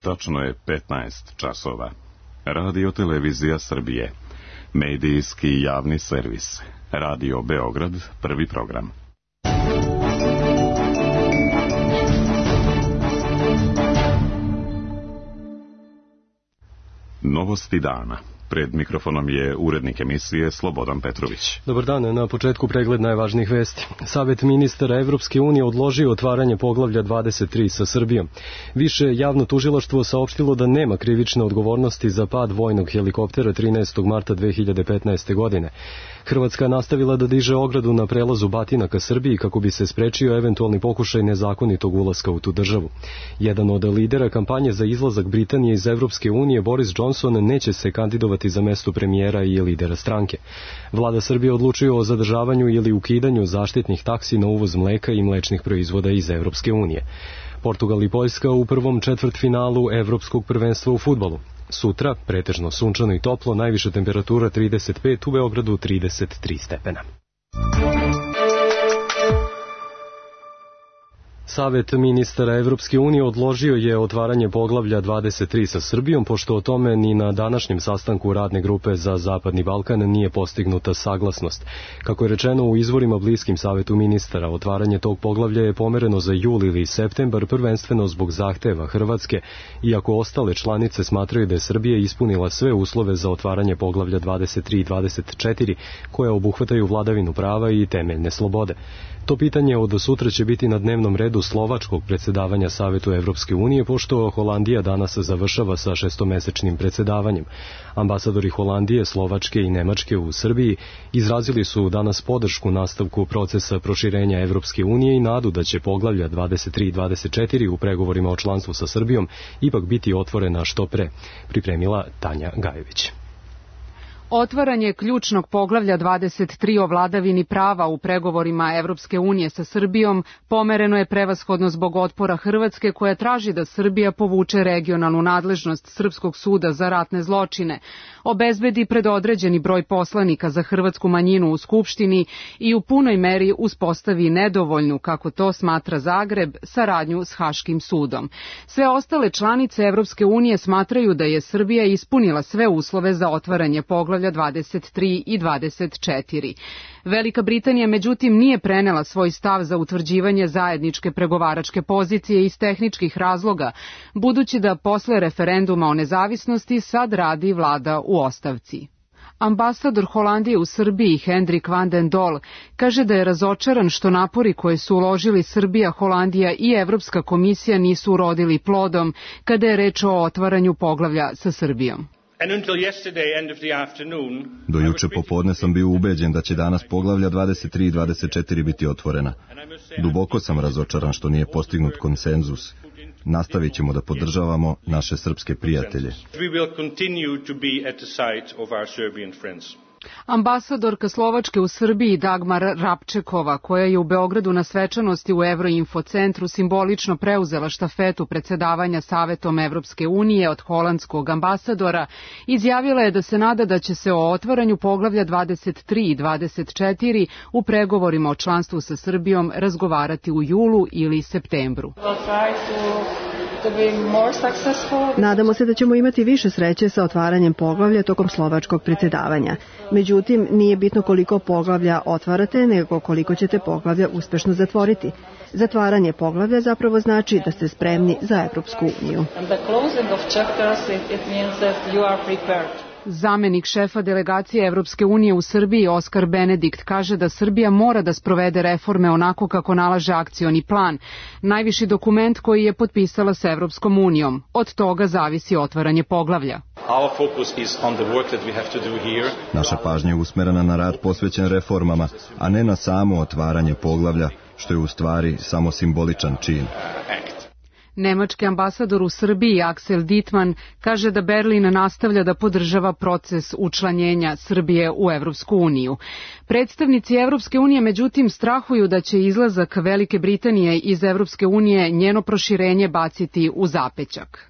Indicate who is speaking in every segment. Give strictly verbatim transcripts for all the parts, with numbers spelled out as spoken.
Speaker 1: Tačno je petnaest časova. Radio Televizija Srbije. Medijski javni servis. Radio Beograd, prvi program. Novosti dana. Pred mikrofonom je urednik emisije Slobodan Petrović.
Speaker 2: Dobar dan, na početku pregled najvažnijih vesti. Savet ministara Evropske unije odložio otvaranje poglavlja dvadeset tri sa Srbijom. Više javno tužilaštvo saopštilo da nema krivične odgovornosti za pad vojnog helikoptera trinaestog marta dve hiljade petnaeste. godine. Hrvatska nastavila da diže ogradu na prelazu Batina ka Srbiji kako bi se sprečio eventualni pokušaj nezakonitog ulaska u tu državu. Jedan od lidera kampanje za izlazak Britanije iz Evropske unije, Boris Johnson, neće se kandidovati za mesto premijera i lidera stranke. Vlada Srbije odlučuje o zadržavanju ili ukidanju zaštitnih taksi na uvoz mleka i mlečnih proizvoda iz Evropske unije. Portugal i Poljska u prvom četvrtfinalu Evropskog prvenstva u fudbalu. Sutra, pretežno sunčano i toplo, najviša temperatura trideset pet, u Beogradu trideset tri stepena. Savet ministara Evropske unije odložio je otvaranje poglavlja dvadeset tri sa Srbijom, pošto o tome ni na današnjem sastanku radne grupe za Zapadni Balkan nije postignuta saglasnost. Kako je rečeno u izvorima bliskim Savetu ministara, otvaranje tog poglavlja je pomereno za jul ili septembar, prvenstveno zbog zahteva Hrvatske, iako ostale članice smatraju da je Srbija ispunila sve uslove za otvaranje poglavlja dvadeset tri i dvadeset četiri, koje obuhvataju vladavinu prava i temeljne slobode. To pitanje od sutra će biti na dnevnom redu slovačkog predsjedavanja Savetu Evropske unije, pošto Holandija danas završava sa šestomesečnim predsjedavanjem. Ambasadori Holandije, Slovačke i Nemačke u Srbiji izrazili su danas podršku nastavku procesa proširenja Evropske unije i nadu da će poglavlja dvadeset tri i dvadeset četiri u pregovorima o članstvu sa Srbijom ipak biti otvorena što pre, pripremila Tanja Gajević.
Speaker 3: Otvaranje ključnog poglavlja dvadeset tri o vladavini prava u pregovorima Evropske unije sa Srbijom pomereno je prevashodno zbog otpora Hrvatske, koja traži da Srbija povuče regionalnu nadležnost Srpskog suda za ratne zločine, obezbedi predodređeni broj poslanika za hrvatsku manjinu u Skupštini i u punoj meri uspostavi nedovoljnu, kako to smatra Zagreb, saradnju s Haškim sudom. Sve ostale članice Evropske unije smatraju da je Srbija ispunila sve uslove za otvaranje poglavlja dvadeset tri i dvadeset četiri. Velika Britanija, međutim, nije prenela svoj stav za utvrđivanje zajedničke pregovaračke pozicije iz tehničkih razloga, budući da posle referenduma o nezavisnosti sad radi vlada u ostavci. Ambasador Holandije u Srbiji, Hendrik van den Dol, kaže da je razočaran što napori koje su uložili Srbija, Holandija i Evropska komisija nisu urodili plodom kada je reč o otvaranju poglavlja sa Srbijom.
Speaker 4: Do juče popodne sam bio ubeđen da će danas poglavlja dvadeset tri i dvadeset četiri biti otvorena. Duboko sam razočaran što nije postignut konsenzus. Nastavit ćemo da podržavamo naše srpske prijatelje.
Speaker 3: Ambasadorka Slovačke u Srbiji Dagmar Rapčekova, koja je u Beogradu na svečanosti u Euroinfo centru simbolično preuzela štafetu predsjedavanja Savetom Evropske unije od holandskog ambasadora, izjavila je da se nada da će se o otvaranju poglavlja dvadeset tri i dvadeset četiri u pregovorima o članstvu sa Srbijom razgovarati u julu ili septembru.
Speaker 5: Nadamo se da ćemo imati više sreće sa otvaranjem poglavlja tokom slovačkog predsjedavanja. Međutim, nije bitno koliko poglavlja otvarate, nego koliko ćete poglavlja uspešno zatvoriti. Zatvaranje poglavlja zapravo znači da ste spremni za Evropsku uniju.
Speaker 3: Zamenik šefa delegacije Evropske unije u Srbiji Oskar Benedikt kaže da Srbija mora da sprovede reforme onako kako nalaže akcioni plan, najviši dokument koji je potpisala s Evropskom unijom. Od toga zavisi otvaranje poglavlja.
Speaker 4: Naša pažnja je usmerena na rad posvećen reformama, a ne na samo otvaranje poglavlja, što je u stvari samo simboličan čin.
Speaker 3: Nemački ambasador u Srbiji Axel Dittmann kaže da Berlin nastavlja da podržava proces učlanjenja Srbije u Evropsku uniju. Predstavnici Evropske unije međutim strahuju da će izlazak Velike Britanije iz Evropske unije njeno proširenje baciti u zapećak.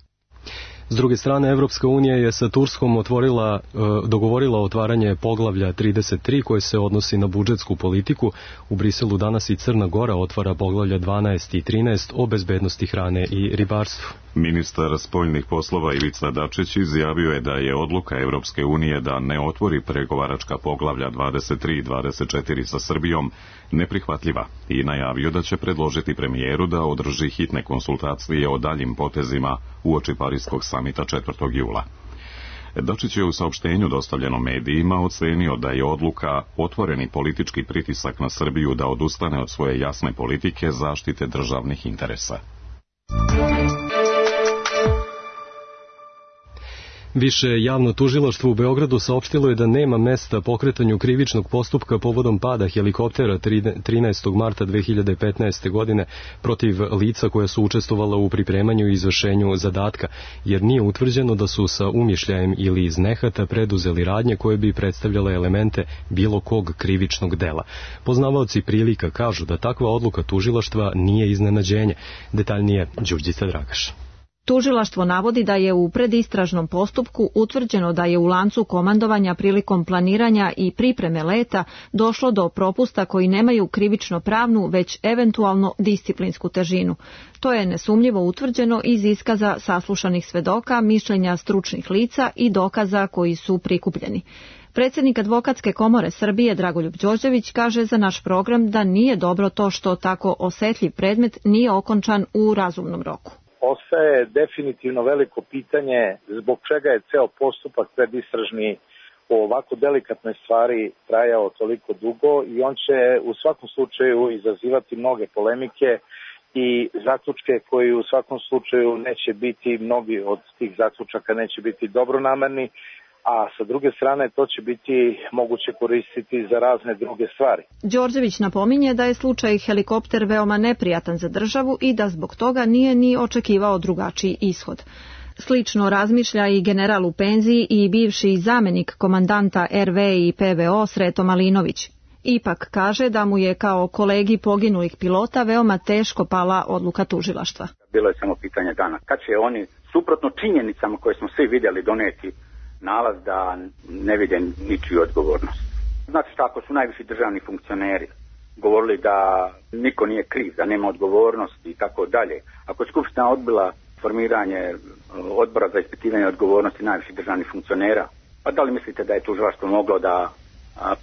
Speaker 2: S druge strane, Evropska unija je sa Turskom otvorila, dogovorila otvaranje poglavlja trideset tri koje se odnosi na budžetsku politiku. U Briselu danas i Crna Gora otvara poglavlja dvanaest i trinaest o bezbednosti hrane i ribarstvu.
Speaker 1: Ministar spoljnih poslova Ivica Dačić izjavio je da je odluka Evropske unije da ne otvori pregovaračka poglavlja dvadeset tri i dvadeset četiri sa Srbijom neprihvatljiva i najavio da će predložiti premijeru da održi hitne konsultacije o daljim potezima uoči Pariskog samita četvrtog jula. Dačić je u saopštenju dostavljenom medijima ocenio da je odluka otvoreni politički pritisak na Srbiju da odustane od svoje jasne politike zaštite državnih interesa.
Speaker 2: Više javno tužilaštvo u Beogradu saopštilo je da nema mesta pokretanju krivičnog postupka povodom pada helikoptera trinaestog marta dve hiljade petnaeste. godine protiv lica koja su učestvovala u pripremanju i izvršenju zadatka, jer nije utvrđeno da su sa umišljajem ili iz nehata preduzeli radnje koje bi predstavljale elemente bilo kog krivičnog dela. Poznavaoci prilika kažu da takva odluka tužilaštva nije iznenađenje. Detaljnije Đurđica Dragaš.
Speaker 6: Tužilaštvo navodi da je u predistražnom postupku utvrđeno da je u lancu komandovanja prilikom planiranja i pripreme leta došlo do propusta koji nemaju krivično pravnu, već eventualno disciplinsku težinu. To je nesumnjivo utvrđeno iz iskaza saslušanih svedoka, mišljenja stručnih lica i dokaza koji su prikupljeni. Predsjednik Advokatske komore Srbije Dragoljub Đorđević kaže za naš program da nije dobro to što tako osetljiv predmet nije okončan u razumnom roku.
Speaker 7: Ostaje definitivno veliko pitanje zbog čega je ceo postupak predistražni o ovako delikatnoj stvari trajao toliko dugo i on će u svakom slučaju izazivati mnoge polemike i zaključke koji u svakom slučaju neće biti, mnogi od tih zaključaka neće biti dobronamerni, a sa druge strane to će biti moguće koristiti za razne druge stvari.
Speaker 6: Đorđević napominje da je slučaj helikopter veoma neprijatan za državu i da zbog toga nije ni očekivao drugačiji ishod. Slično razmišlja i general u penziji i bivši zamenik komandanta er ve i pe ve o Sreto Malinović. Ipak kaže da mu je kao kolegi poginulih pilota veoma teško pala odluka tužilaštva.
Speaker 8: Bilo je samo pitanje dana. Kad će oni, suprotno činjenicama koje smo svi vidjeli, doneti nalaz da ne vide ničiju odgovornost. Znači tako su najviši državni funkcioneri govorili da niko nije kriv, da nema odgovornosti i tako dalje. Ako je Skupština odbila formiranje odbora za ispitivanje odgovornosti najviših državnih funkcionera, pa da li mislite da je tužilaštvo moglo da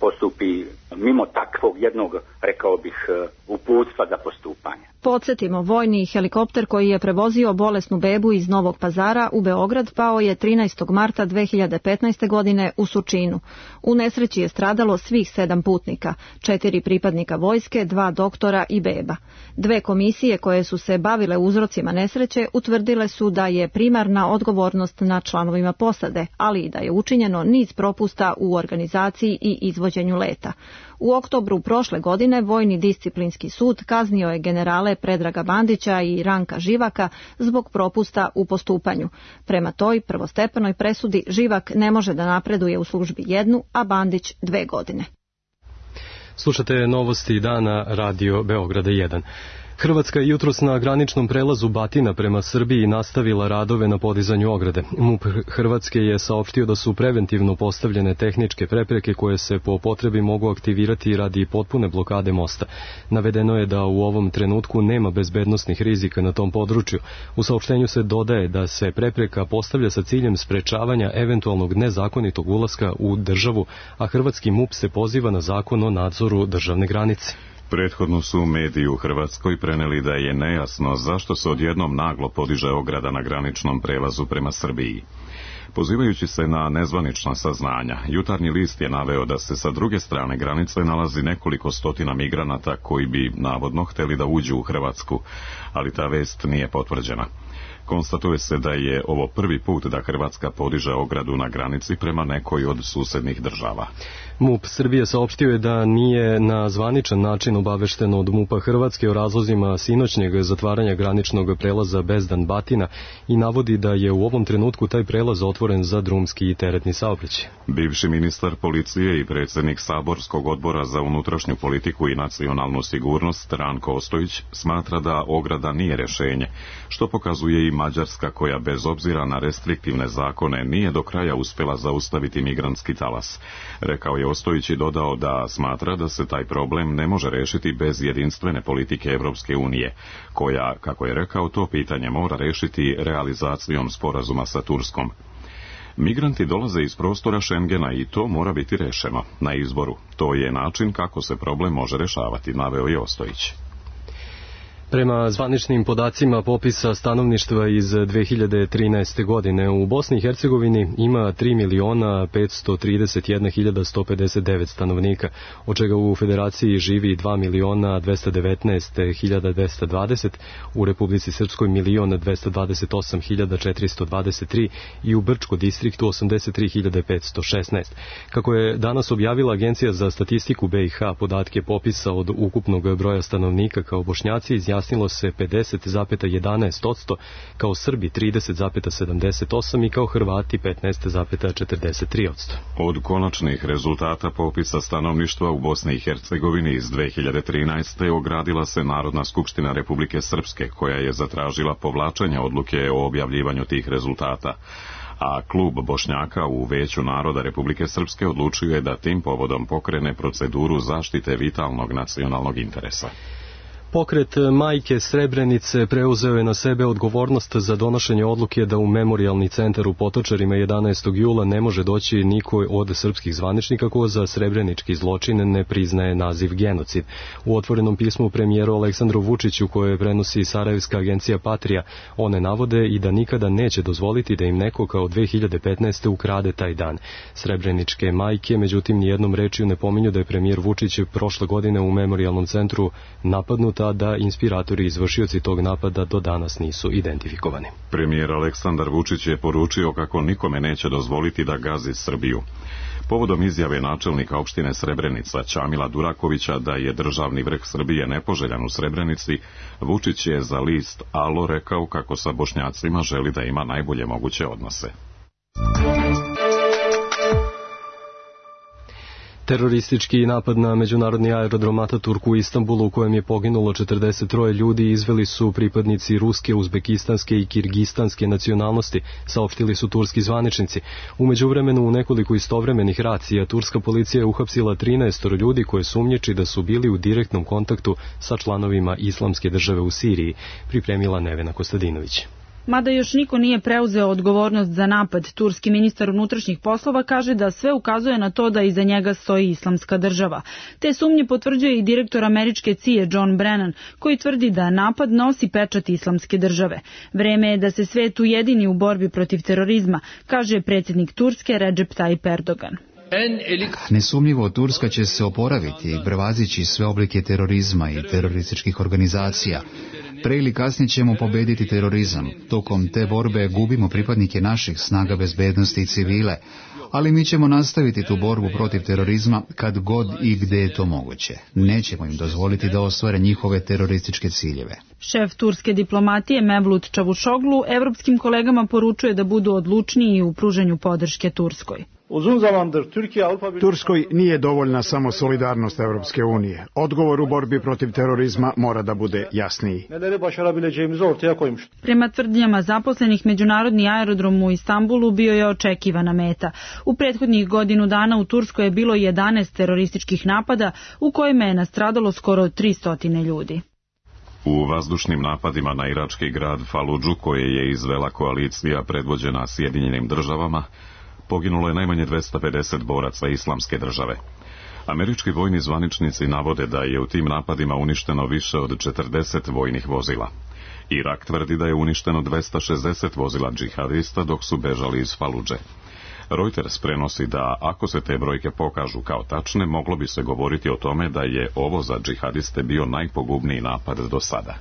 Speaker 8: postupi mimo takvog jednog, rekao bih, uputstva za postupanje?
Speaker 6: Podsjetimo, vojni helikopter koji je prevozio bolesnu bebu iz Novog Pazara u Beograd pao je trinaestog marta dve hiljade petnaeste. godine u Surčinu. U nesreći je stradalo svih sedam putnika, četiri pripadnika vojske, dva doktora i beba. Dve komisije koje su se bavile uzrocima nesreće utvrdile su da je primarna odgovornost na članovima posade, ali i da je učinjeno niz propusta u organizaciji i izvođenju leta. U oktobru prošle godine Vojni disciplinski sud kaznio je generale Predraga Bandića i Ranka Živaka zbog propusta u postupanju. Prema toj prvostepenoj presudi Živak ne može da napreduje u službi jednu, a Bandić dve godine.
Speaker 2: Slušate novosti dana Radio Beograda jedan. Hrvatska je jutros na graničnom prelazu Batina prema Srbiji nastavila radove na podizanju ograde. MUP Hrvatske je saopštio da su preventivno postavljene tehničke prepreke koje se po potrebi mogu aktivirati radi potpune blokade mosta. Navedeno je da u ovom trenutku nema bezbednosnih rizika na tom području. U saopštenju se dodaje da se prepreka postavlja sa ciljem sprečavanja eventualnog nezakonitog ulaska u državu, a hrvatski MUP se poziva na zakon o nadzoru državne granice.
Speaker 1: Prethodno su mediji u Hrvatskoj preneli da je nejasno zašto se odjednom naglo podiže ograda na graničnom prelazu prema Srbiji. Pozivajući se na nezvanična saznanja, Jutarnji list je naveo da se sa druge strane granice nalazi nekoliko stotina migranata koji bi navodno hteli da uđu u Hrvatsku, ali ta vest nije potvrđena. Konstatuje se da je ovo prvi put da Hrvatska podiže ogradu na granici prema nekoj od susednih država.
Speaker 2: MUP Srbije saopštio je da nije na zvaničan način obavešteno od MUP-a Hrvatske o razlozima sinoćnjeg zatvaranja graničnog prelaza Bezdan Batina i navodi da je u ovom trenutku taj prelaz otvoren za drumski i teretni saobraćaj.
Speaker 1: Bivši ministar policije i predsjednik Saborskog odbora za unutrašnju politiku i nacionalnu sigurnost Ranko Ostojić smatra da ograda nije rješenje, što pokazuje i Mađarska koja bez obzira na restriktivne zakone nije do kraja uspjela zaustaviti migrantski talas. Rekao je Ostojić i dodao da smatra da se taj problem ne može rešiti bez jedinstvene politike Evropske unije, koja, kako je rekao, to pitanje mora rešiti realizacijom sporazuma sa Turskom. Migranti dolaze iz prostora Šengena i to mora biti rešeno na izboru. To je način kako se problem može rešavati, naveo je Ostojić.
Speaker 2: Prema zvaničnim podacima popisa stanovništva iz dve hiljade trinaeste. godine u Bosni i Hercegovini ima tri miliona petsto trideset jedna hiljada sto pedeset devet stanovnika, od čega u Federaciji živi dva miliona dvesta devetnaest hiljada dvesta dvadeset, u Republici Srpskoj milion dvesta dvadeset osam hiljada četiristo dvadeset tri i u Brčko distriktu osamdeset tri hiljade petsto šesnaest. Kako je danas objavila Agencija za statistiku B i H podatke popisa od ukupnog broja stanovnika, kao Bošnjaci izjasnilo se pedeset zarez jedanaest posto, kao Srbi trideset zarez sedamdeset osam i kao Hrvati petnaest zarez četrdeset tri posto.
Speaker 1: Od konačnih rezultata popisa stanovništva u Bosni i Hercegovini iz dve hiljade trinaeste. ogradila se Narodna skupština Republike Srpske, koja je zatražila povlačenje odluke o objavljivanju tih rezultata. A klub Bošnjaka u Veću naroda Republike Srpske odlučio je da tim povodom pokrene proceduru zaštite vitalnog nacionalnog interesa.
Speaker 2: Pokret Majke Srebrenice preuzeo je na sebe odgovornost za donošenje odluke da u memorijalni centar u Potočarima jedanaestog jula ne može doći niko od srpskih zvaničnika ko za srebrenički zločin ne priznaje naziv genocid. U otvorenom pismu premijeru Aleksandru Vučiću, koje prenosi sarajevska agencija Patrija, one navode i da nikada neće dozvoliti da im neko kao dve hiljade petnaeste. ukrade taj dan. Srebreničke majke, međutim, nijednom rečju ne pominju da je premijer Vučić prošle godine u memorijalnom centru napadnut, a da inspiratori i izvršioci tog napada do danas nisu identifikovani.
Speaker 1: Premijer Aleksandar Vučić je poručio kako nikome neće dozvoliti da gazi Srbiju. Povodom izjave načelnika opštine Srebrenica Ćamila Durakovića da je državni vrh Srbije nepoželjan u Srebrenici, Vučić je za list Alo rekao kako sa Bošnjacima želi da ima najbolje moguće odnose.
Speaker 2: Teroristički napad na međunarodni aerodrom Ataturk u Istanbulu, u kojem je poginulo četrdeset troje ljudi, izveli su pripadnici ruske, uzbekistanske i kirgistanske nacionalnosti, saopštili su turski zvaničnici. U međuvremenu, u nekoliko istovremenih racija, turska policija je uhapsila trinaest ljudi koje sumnjiči da su bili u direktnom kontaktu sa članovima Islamske države u Siriji, pripremila Nevena Kostadinović.
Speaker 9: Mada još niko nije preuzeo odgovornost za napad, turski ministar unutrašnjih poslova kaže da sve ukazuje na to da iza njega stoji Islamska država. Te sumnje potvrđuje i direktor američke C I A John Brennan, koji tvrdi da napad nosi pečat Islamske države. Vreme je da se svet ujedini u borbi protiv terorizma, kaže predsjednik Turske Recep Tayyip Erdogan.
Speaker 10: Nesumnjivo, Turska će se oporaviti i prevazići sve oblike terorizma i terorističkih organizacija. Pre ili kasnije ćemo pobediti terorizam. Tokom te borbe gubimo pripadnike naših snaga bezbednosti i civile, ali mi ćemo nastaviti tu borbu protiv terorizma kad god i gde je to moguće. Nećemo im dozvoliti da ostvare njihove terorističke ciljeve.
Speaker 9: Šef turske diplomatije Mevlut Čavuşoglu evropskim kolegama poručuje da budu odlučniji u pružanju podrške Turskoj.
Speaker 11: Turskoj nije dovoljna samo solidarnost Evropske unije. Odgovor u borbi protiv terorizma mora da bude jasniji.
Speaker 9: Prema tvrdnjama zaposlenih, međunarodni aerodrom u Istanbulu bio je očekivana meta. U prethodnih godinu dana u Turskoj je bilo jedanaest terorističkih napada u kojima je nastradalo skoro tristo ljudi.
Speaker 1: U vazdušnim napadima na irački grad Faludžu, koje je izvela koalicija predvođena Sjedinjenim državama, poginulo je najmanje dvesta pedeset boraca Islamske države. Američki vojni zvaničnici navode da je u tim napadima uništeno više od četrdeset vojnih vozila. Irak tvrdi da je uništeno dvesta šezdeset vozila džihadista dok su bežali iz Faludže. Reuters prenosi da ako se te brojke pokažu kao tačne, moglo bi se govoriti o tome da je ovo za džihadiste bio najpogubniji napad do sada.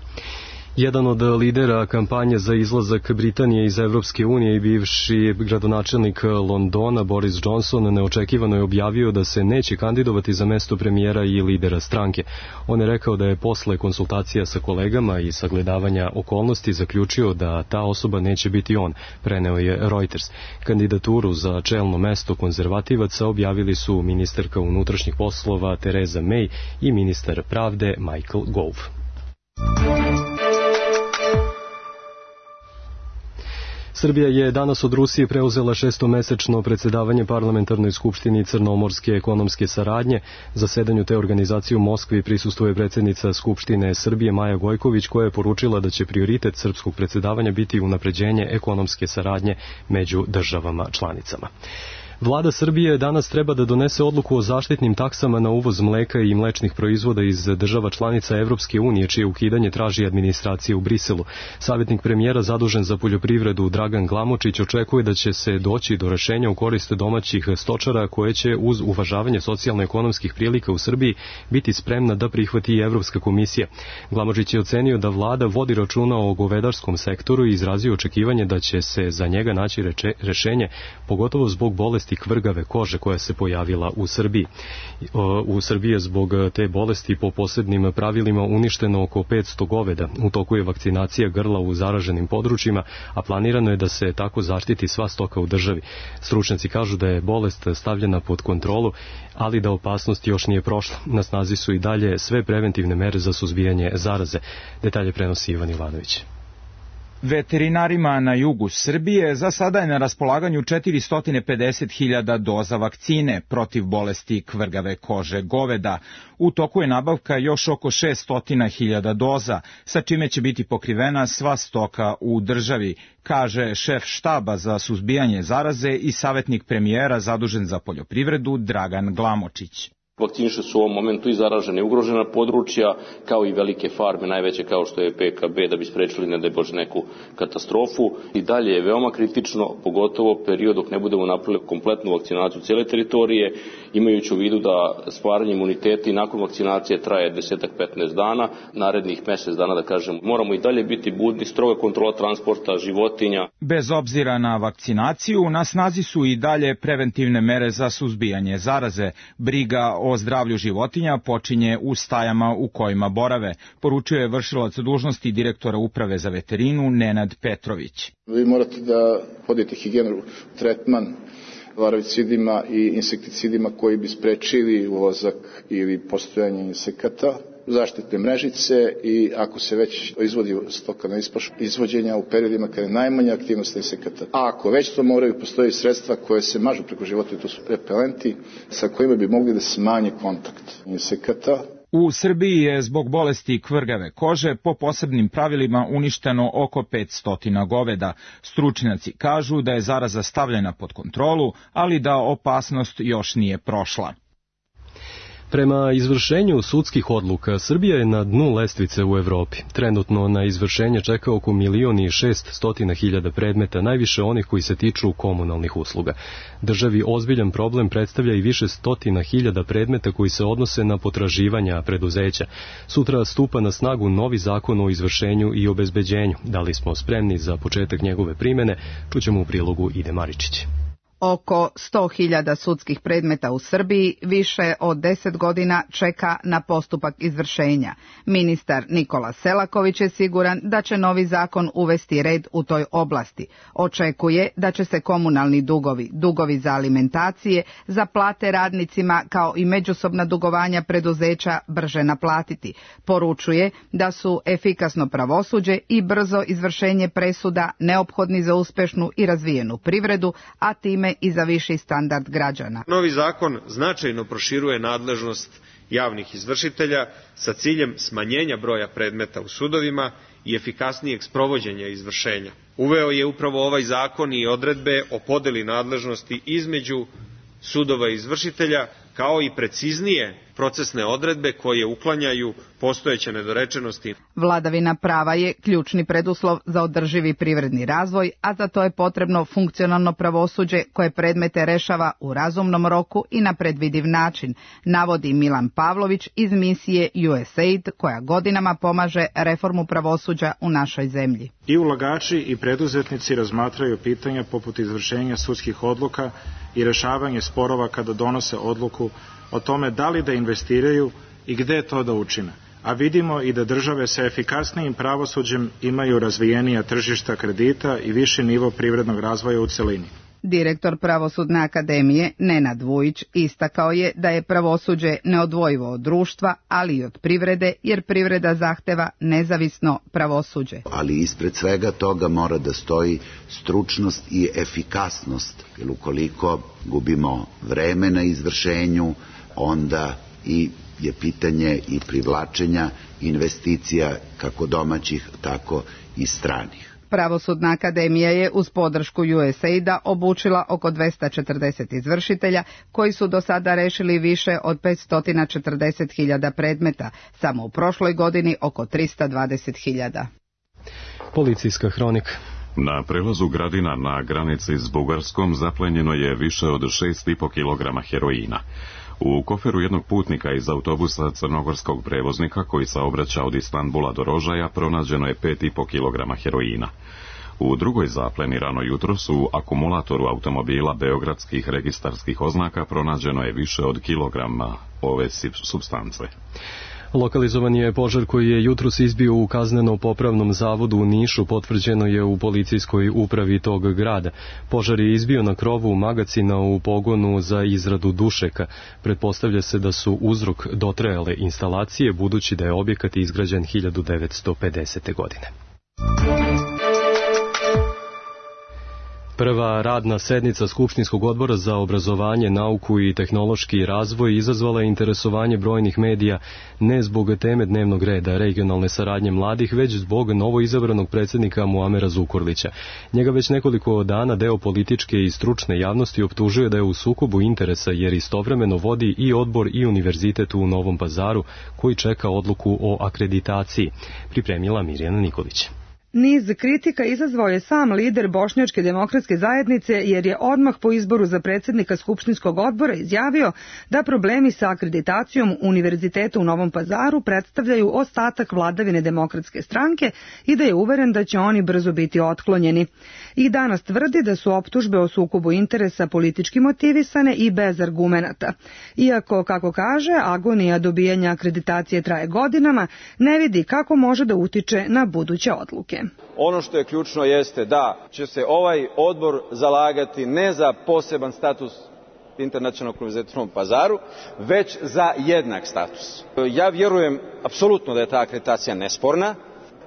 Speaker 2: Jedan od lidera kampanje za izlazak Britanije iz Evropske unije i bivši gradonačelnik Londona Boris Johnson neočekivano je objavio da se neće kandidovati za mesto premijera i lidera stranke. On je rekao da je posle konsultacija sa kolegama i sagledavanja okolnosti zaključio da ta osoba neće biti on, preneo je Reuters. Kandidaturu za čelno mesto konzervativaca objavili su ministarka unutrašnjih poslova Theresa May i ministar pravde Michael Gove. Srbija je danas od Rusije preuzela šestomesečno predsjedavanje Parlamentarnoj skupštini Crnomorske ekonomske saradnje. Zasedanju te organizacije u Moskvi prisustvuje predsjednica Skupštine Srbije Maja Gojković, koja je poručila da će prioritet srpskog predsjedavanja biti unapređenje ekonomske saradnje među državama članicama. Vlada Srbije danas treba da donese odluku o zaštitnim taksama na uvoz mleka i mlečnih proizvoda iz država članica Evropske unije, čije ukidanje traži administracija u Briselu. Savjetnik premijera zadužen za poljoprivredu Dragan Glamočić očekuje da će se doći do rešenja u korist domaćih stočara, koje će uz uvažavanje socijalno-ekonomskih prilika u Srbiji biti spremna da prihvati i Evropska komisija. Glamočić je ocenio da vlada vodi računa o govedarskom sektoru i izrazio očekivanje da će se za njega naći reče, rešenje, pogotovo zbog bolesti kvrgave kože koja se pojavila u Srbiji. U Srbiji je zbog te bolesti po posebnim pravilima uništeno oko petsto goveda. U toku je vakcinacija grla u zaraženim područjima, a planirano je da se tako zaštiti sva stoka u državi. Stručnjaci kažu da je bolest stavljena pod kontrolu, ali da opasnost još nije prošla. Na snazi su i dalje sve preventivne mere za suzbijanje zaraze. Detalje prenosi Ivan Ivanović.
Speaker 12: Veterinarima na jugu Srbije za sada je na raspolaganju četiristo pedeset hiljada doza vakcine protiv bolesti kvrgave kože goveda. U toku je nabavka još oko šesto hiljada doza, sa čime će biti pokrivena sva stoka u državi, kaže šef štaba za suzbijanje zaraze i savjetnik premijera zadužen za poljoprivredu Dragan Glamočić.
Speaker 13: Vakciniše su u ovom momentu i zaražene i ugrožena područja, kao i velike farme, najveće kao što je P K B, da bi sprečili, ne daj Bože, neku katastrofu. I dalje je veoma kritično, pogotovo period dok ne budemo napravili kompletnu vakcinaciju cijele teritorije, imajući u vidu da stvaranje imuniteta i nakon vakcinacije traje deset do petnaest dana, narednih mjesec dana, da kažem, moramo i dalje biti budni, stroga kontrola transporta životinja.
Speaker 12: Bez obzira na vakcinaciju, na snazi su i dalje preventivne mere za suzbijanje zaraze. Briga o zdravlju životinja počinje u stajama u kojima borave, poručuje vršilac dužnosti direktora uprave za veterinu Nenad Petrović.
Speaker 14: Vi morate da vodite higijenu, tretman larvicidima i insekticidima koji bi sprečili ulazak ili postojanje insekata, zaštitne mrežice i ako se već izvodi stoka na ispašu, izvođenja u periodima kada je najmanja aktivnost insekata. A ako već to moraju, postoji sredstva koje se mažu preko života, to su repelenti sa kojima bi mogli da smanje kontakt insekata.
Speaker 12: U Srbiji je zbog bolesti kvrgave kože po posebnim pravilima uništeno oko petsto goveda. Stručnjaci kažu da je zaraza stavljena pod kontrolu, ali da opasnost još nije prošla.
Speaker 2: Prema izvršenju sudskih odluka, Srbija je na dnu lestvice u Evropi. Trenutno na izvršenje čeka oko milion i šest stotina hiljada predmeta, najviše onih koji se tiču komunalnih usluga. Državi ozbiljan problem predstavlja i više stotina hiljada predmeta koji se odnose na potraživanja preduzeća. Sutra stupa na snagu novi zakon o izvršenju i obezbeđenju. Da li smo spremni za početak njegove primene, čućemo u prilogu Ide Maričić.
Speaker 15: Oko sto hiljada sudskih predmeta u Srbiji više od deset godina čeka na postupak izvršenja. Ministar Nikola Selaković je siguran da će novi zakon uvesti red u toj oblasti. Očekuje da će se komunalni dugovi, dugovi za alimentacije, za plate radnicima kao i međusobna dugovanja preduzeća brže naplatiti. Poručuje da su efikasno pravosuđe i brzo izvršenje presuda neophodni za uspešnu i razvijenu privredu, a time i za viši standard građana.
Speaker 16: Novi zakon značajno proširuje nadležnost javnih izvršitelja sa ciljem smanjenja broja predmeta u sudovima i efikasnijeg sprovođenja izvršenja. Uveo je upravo ovaj zakon i odredbe o podeli nadležnosti između sudova i izvršitelja, kao i preciznije procesne odredbe koje uklanjaju postojeće nedorečenosti.
Speaker 15: Vladavina prava je ključni preduslov za održivi privredni razvoj, a za to je potrebno funkcionalno pravosuđe koje predmete rešava u razumnom roku i na predvidiv način, navodi Milan Pavlović iz misije U S A I D koja godinama pomaže reformu pravosuđa u našoj zemlji.
Speaker 11: I ulagači i preduzetnici razmatraju pitanja poput izvršenja sudskih odluka i rešavanje sporova kada donose odluku o tome da li da investiraju i gde to da učine. A vidimo i da države sa efikasnijim pravosuđem imaju razvijenija tržišta kredita i viši nivo privrednog razvoja u celini.
Speaker 15: Direktor Pravosudne akademije Nenad Vujić istakao je da je pravosuđe neodvojivo od društva, ali i od privrede, jer privreda zahteva nezavisno pravosuđe.
Speaker 17: Ali ispred svega toga mora da stoji stručnost i efikasnost, jer ukoliko gubimo vreme na izvršenju, onda i je pitanje i privlačenja investicija kako domaćih, tako i stranih.
Speaker 15: Pravosudna akademija je uz podršku U S A I D-a obučila oko dvesta četrdeset izvršitelja koji su do sada rešili više od petsto četrdeset hiljada predmeta, samo u prošloj godini oko trista dvadeset hiljada.
Speaker 2: Policijska hronika.
Speaker 1: Na prelazu Gradina na granici s Bugarskom zaplenjeno je više od šest i po kilograma heroina. U koferu jednog putnika iz autobusa crnogorskog prevoznika koji saobraća od Istanbula do Rožaja pronađeno je pet i po kilograma heroina. U drugoj zapleni rano jutros u akumulatoru automobila beogradskih registarskih oznaka pronađeno je više od kilograma ove supstance.
Speaker 2: Lokalizovan je požar koji je jutros izbio u kazneno-popravnom zavodu u Nišu, potvrđeno je u policijskoj upravi tog grada. Požar je izbio na krovu magacina u pogonu za izradu dušeka. Pretpostavlja se da su uzrok dotrajale instalacije, budući da je objekat izgrađen hiljadu devetsto pedesete. godine. Prva radna sednica Skupštinskog odbora za obrazovanje, nauku i tehnološki razvoj izazvala je interesovanje brojnih medija ne zbog teme dnevnog reda regionalne saradnje mladih, već zbog novoizabranog predsjednika Muamera Zukorlića. Njega već nekoliko dana deo političke i stručne javnosti optužuje da je u sukobu interesa jer istovremeno vodi i odbor i univerzitet u Novom Pazaru koji čeka odluku o akreditaciji. Pripremila Mirjana Nikolić.
Speaker 18: Niz kritika izazvao je sam lider Bošnjačke demokratske zajednice jer je odmah po izboru za predsjednika Skupštinskog odbora izjavio da problemi sa akreditacijom Univerziteta u Novom Pazaru predstavljaju ostatak vladavine Demokratske stranke i da je uveren da će oni brzo biti otklonjeni. I danas tvrdi da su optužbe o sukobu interesa politički motivisane i bez argumenata. Iako, kako kaže, agonija dobijanja akreditacije traje godinama, ne vidi kako može da utiče na buduće odluke.
Speaker 19: Ono što je ključno jeste da će se ovaj odbor zalagati ne za poseban status Internacionalnog univerziteta u Novom Pazaru, već za jednak status. Ja vjerujem apsolutno da je ta akreditacija nesporna.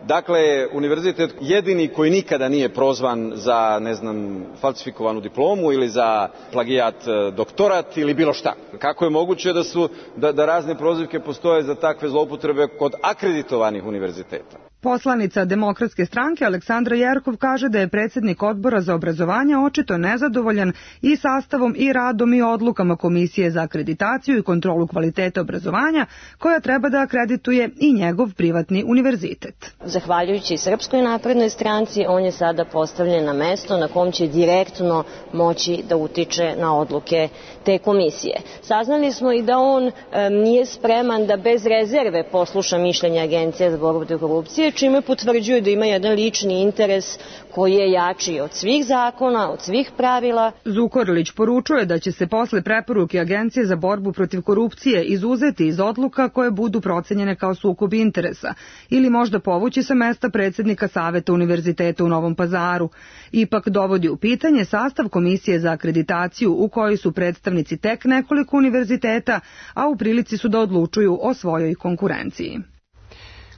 Speaker 19: Dakle, univerzitet jedini koji nikada nije prozvan za, ne znam, falsifikovanu diplomu ili za plagijat doktorat ili bilo šta. Kako je moguće da su da, da razne prozivke postoje za takve zloupotrebe kod akreditovanih univerziteta?
Speaker 18: Poslanica Demokratske stranke Aleksandra Jerkov kaže da je predsjednik odbora za obrazovanje očito nezadovoljan i sastavom i radom i odlukama Komisije za akreditaciju i kontrolu kvaliteta obrazovanja koja treba da akredituje i njegov privatni univerzitet.
Speaker 20: Zahvaljujući Srpskoj naprednoj stranci, on je sada postavljen na mesto na kom će direktno moći da utiče na odluke te komisije. Saznali smo i da on e, nije spreman da bez rezerve posluša mišljenje Agencije za borbu protiv korupcije, čime potvrđuje da ima jedan lični interes koji je jači od svih zakona, od svih pravila.
Speaker 18: Zukorlić poručuje da će se posle preporuke Agencije za borbu protiv korupcije izuzeti iz odluka koje budu procenjene kao sukob interesa ili možda povući sa mesta predsjednika Saveta Univerziteta u Novom Pazaru. Ipak dovodi u pitanje sastav Komisije za akreditaciju u kojoj su predstavnici tek nekoliko univerziteta, a u prilici su da odlučuju o svojoj konkurenciji.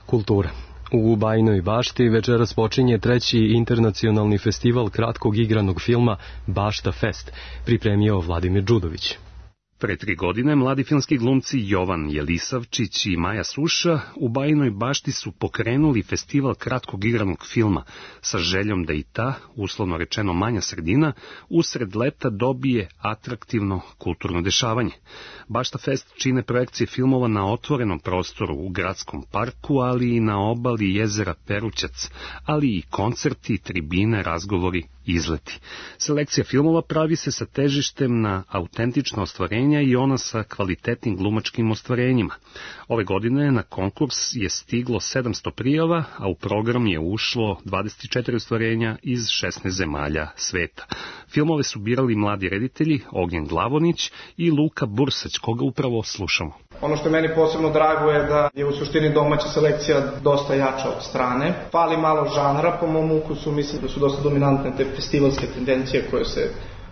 Speaker 2: Kultura. U Bajinoj Bašti večeras počinje treći internacionalni festival kratkog igranog filma Bašta Fest, pripremio Vladimir Đudović.
Speaker 21: Pre tri godine mladi filmski glumci Jovan Jelisavčić i Maja Suša u Bajinoj Bašti su pokrenuli festival kratkog igranog filma sa željom da i ta, uslovno rečeno manja sredina, usred leta dobije atraktivno kulturno dešavanje. Bašta Fest čine projekcije filmova na otvorenom prostoru u gradskom parku, ali i na obali jezera Perućac, ali i koncerti, tribine, razgovori, izleti. Selekcija filmova pravi se sa težištem na autentična ostvarenja i ona sa kvalitetnim glumačkim ostvarenjima. Ove godine na konkurs je stiglo sedamsto prijava, a u program je ušlo dvadeset četiri ostvarenja iz šesnaest zemalja sveta. Filmove su birali mladi reditelji Ognjen Glavonić i Luka Bursać, koga upravo slušamo.
Speaker 22: Ono što je meni posebno drago je da je u suštini domaća selekcija dosta jača od strane. Fali malo žanra po mom ukusu, mislim da su dosta dominantne te festivalske tendencije koje se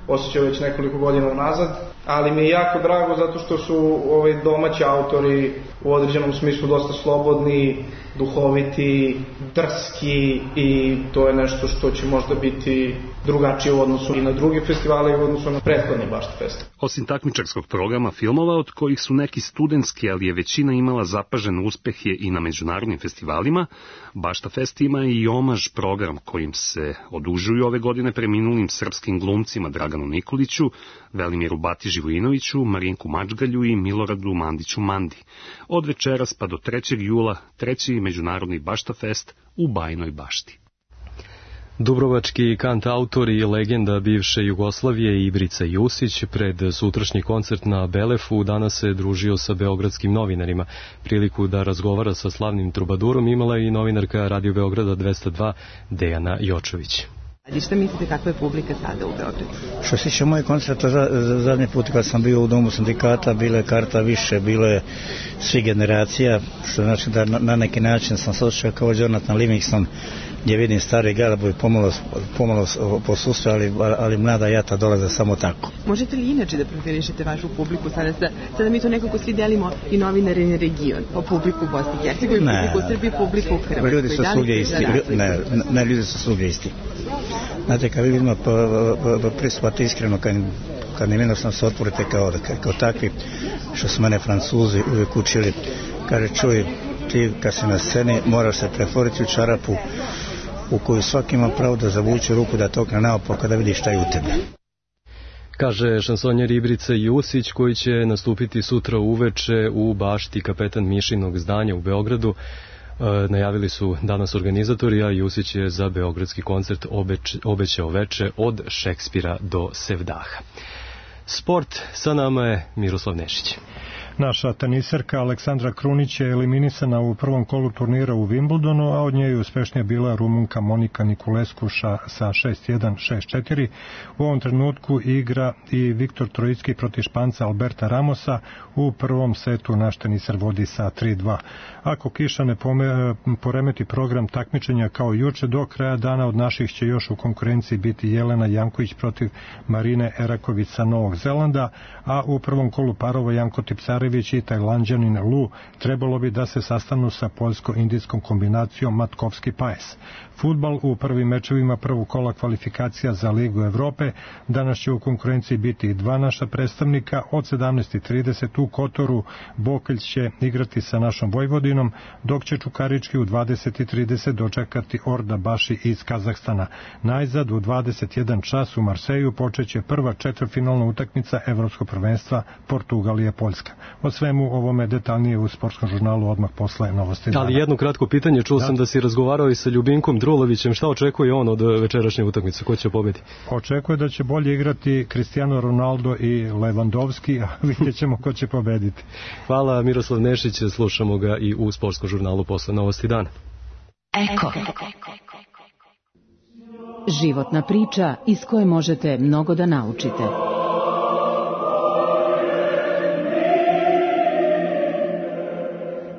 Speaker 22: osjećao već nekoliko godina unazad, ali mi je jako drago zato što su ovaj, domaći autori u određenom smislu dosta slobodni, duhoviti, drski i to je nešto što će možda biti drugačije u odnosu i na druge festivale i u odnosu na prethodni Bašta Fest.
Speaker 21: Osim takmičarskog programa filmova, od kojih su neki studentski, ali je većina imala zapažen uspeh je i na međunarodnim festivalima, Bašta Fest ima i omaž program kojim se odužuju ove godine preminulim srpskim glumcima Draganu Nikoliću, Velimiru Bati Živojinoviću, Marinku Mačgalju i Miloradu Mandiću Mandi. Od večeras pa do trećeg jula treći međunarodni Bašta Fest u Bajinoj Bašti.
Speaker 2: Dubrovački kantautor i legenda bivše Jugoslavije Ibrica Jusić pred sutrašnji koncert na Belefu danas se družio sa beogradskim novinarima. Priliku da razgovara sa slavnim trubadurom imala i novinarka Radio Beograda dvesta dva Dejana Jočović.
Speaker 4: A šta mislite kakva je publika sada u Beogradu?
Speaker 5: Što se tiče moje koncerta, za, za zadnji put kad sam bio u Domu sindikata, bile karta više, bile svi generacija, što znači da na, na neki način sam se osjećao kao Jonathan Livingston, gdje vidim stari garabovi pomalo, pomalo posustaju, ali, ali mlada jata dolaze samo tako.
Speaker 4: Možete li inače da profilišete vašu publiku sada? Sada mi to nekako svi delimo i novinare na region, po publiku u Bosni i Hercegovini, publiku u Srbiji, publiku u Hrvatskoj.
Speaker 5: Ljudi su svugdje isti, ne, ne, ljudi su svugdje isti. Znate, kad vidimo pristupati iskreno, kad, kad im jednostavno se otvorite kao, kao takvi, što su mene Francuzi uvijek učili, kaže, čuj, ti kad si na sceni moraš se pretvoriti u čarapu u koju svaki ima pravo da zavuče ruku, da to okne naopako da vidi šta je u tebi.
Speaker 2: Kaže šansonjer Ibrica Jusić, koji će nastupiti sutra uveče u bašti Kapetan Mišinog zdanja u Beogradu. E, najavili su danas organizatori, a Jusić je za beogradski koncert obeč, obećao veče od Šekspira do Sevdaha. Sport, sa nama je Miroslav Nešić.
Speaker 23: Naša teniserka Aleksandra Krunić je eliminisana u prvom kolu turnira u Wimbledonu, a od nje je uspešnija bila Rumunka Monika Nikuleskuša sa šest jedan šest četiri. U ovom trenutku igra i Viktor Trojicki protiv Španca Alberta Ramosa. U prvom setu naš teniser vodi sa tri dva. Ako kiša ne pome, poremeti program takmičenja kao juče, do kraja dana od naših će još u konkurenciji biti Jelena Janković protiv Marine Eraković sa Novog Zelanda, a u prvom kolu parova Janko Tipsarević i Tajlanđanin Lu trebalo bi da se sastanu sa poljsko-indijskom kombinacijom Matkovski-Paes. Fudbal u prvim mečevima prvog kola kvalifikacija za Ligu Evrope. Danas će u konkurenciji biti dva naša predstavnika. Od sedamnaest i trideset u Kotoru Bokelj će igrati sa našom Vojvodinom, dok će Čukarički u dvadeset i trideset dočekati Orda Baši iz Kazahstana. Najzad u dvadeset jedan čas u Marseju počeće prva četvrtfinalna utakmica Evropskog prvenstva Portugalija-Poljska. O svemu ovome detaljnije u sportskom žurnalu odmah posle novosti dana.
Speaker 2: Ali jedno kratko pitanje, čuo da. sam da si razgovarao i sa Ljubinkom Drulovićem, šta očekuje on od večerašnje utakmice, ko će pobediti?
Speaker 23: Očekuje da će bolje igrati Cristiano Ronaldo i Lewandowski, a vidjet ćemo ko će pobediti.
Speaker 2: Hvala, Miroslav Nešić, slušamo ga i u sportskom žurnalu posle novosti dana.
Speaker 24: Eko. Životna priča iz koje možete mnogo da naučite.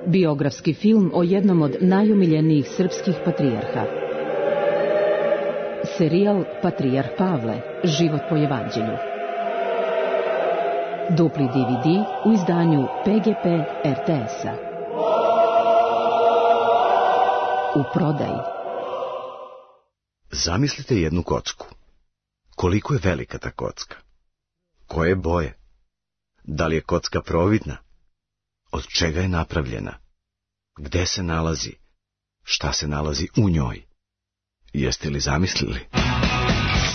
Speaker 24: Biografski film o jednom od najomiljenijih srpskih patrijarha. Serijal Patrijarh Pavle, život po evanđelju. Dupli D V D u izdanju P G P R T S-a. U prodaji.
Speaker 25: Zamislite jednu kocku. Koliko je velika ta kocka? Koje boje? Da li je kocka providna? Od čega je napravljena? Gde se nalazi? Šta se nalazi u njoj? Jeste li zamislili?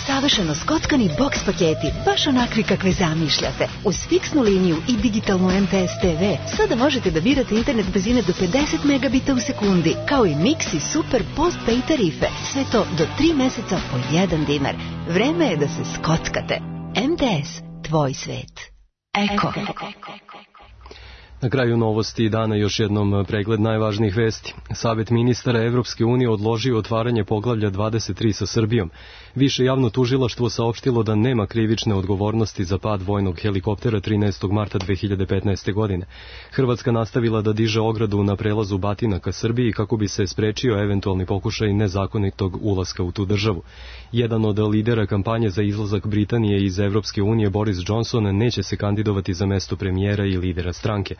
Speaker 26: Savršeno skockani boks paketi, baš onakvi kakve zamišljate. Uz fiksnu liniju i digitalnu M T S T V sada možete da birate internet brzine do pedeset megabita u sekundi, kao i Mix i Super Postpay tarife. Sve to do tri meseca po jedan dinar. Vreme je da se skockate. M T S, tvoj svet. Eko.
Speaker 2: Na kraju novosti dana još jednom pregled najvažnijih vesti. Savet ministara Evropske unije odložio otvaranje poglavlja dvadeset tri sa Srbijom. Više javno tužilaštvo saopštilo da nema krivične odgovornosti za pad vojnog helikoptera trinaestog marta dve hiljade petnaeste. godine. Hrvatska nastavila da diže ogradu na prelazu Batina ka Srbiji kako bi se sprečio eventualni pokušaj nezakonitog ulaska u tu državu. Jedan od lidera kampanje za izlazak Britanije iz Evropske unije, Boris Johnson, neće se kandidovati za mesto premijera i lidera stranke.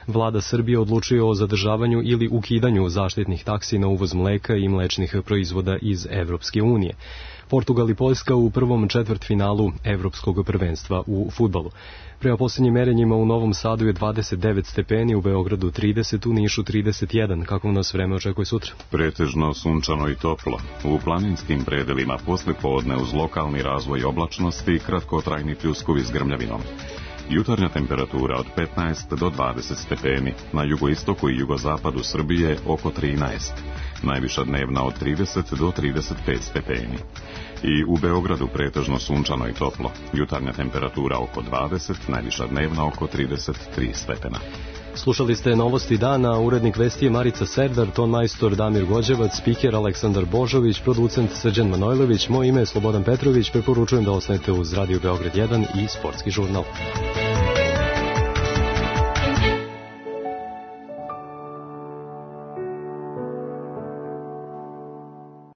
Speaker 2: Vlada Srbije odlučuje o zadržavanju ili ukidanju zaštitnih taksi na uvoz mleka i mlečnih proizvoda iz Evropske unije. Portugal i Poljska u prvom četvrtfinalu Evropskog prvenstva u fudbalu. Prema posljednjim merenjima u Novom Sadu je dvadeset devet stepeni, u Beogradu trideset, u Nišu trideset jedan. Kako nas vreme očekuje sutra?
Speaker 1: Pretežno sunčano i toplo. U planinskim predelima posle podne uz lokalni razvoj oblačnosti kratkotrajni pljuskovi s grmljavinom. Jutarnja temperatura od petnaest do dvadeset stepeni, na jugoistoku i jugozapadu Srbije oko trinaest, najviša dnevna od trideset do trideset pet stepeni. I u Beogradu pretežno sunčano i toplo, jutarnja temperatura oko dvadeset, najviša dnevna oko trideset tri stepena.
Speaker 2: Slušali ste novosti dana, urednik vesti je Marica Serdar, ton majstor Damir Gođevac, spiker Aleksandar Božović, producent Srđan Manojlović, moje ime je Slobodan Petrović, preporučujem da ostanete uz Radio Beograd jedan i Sportski žurnal.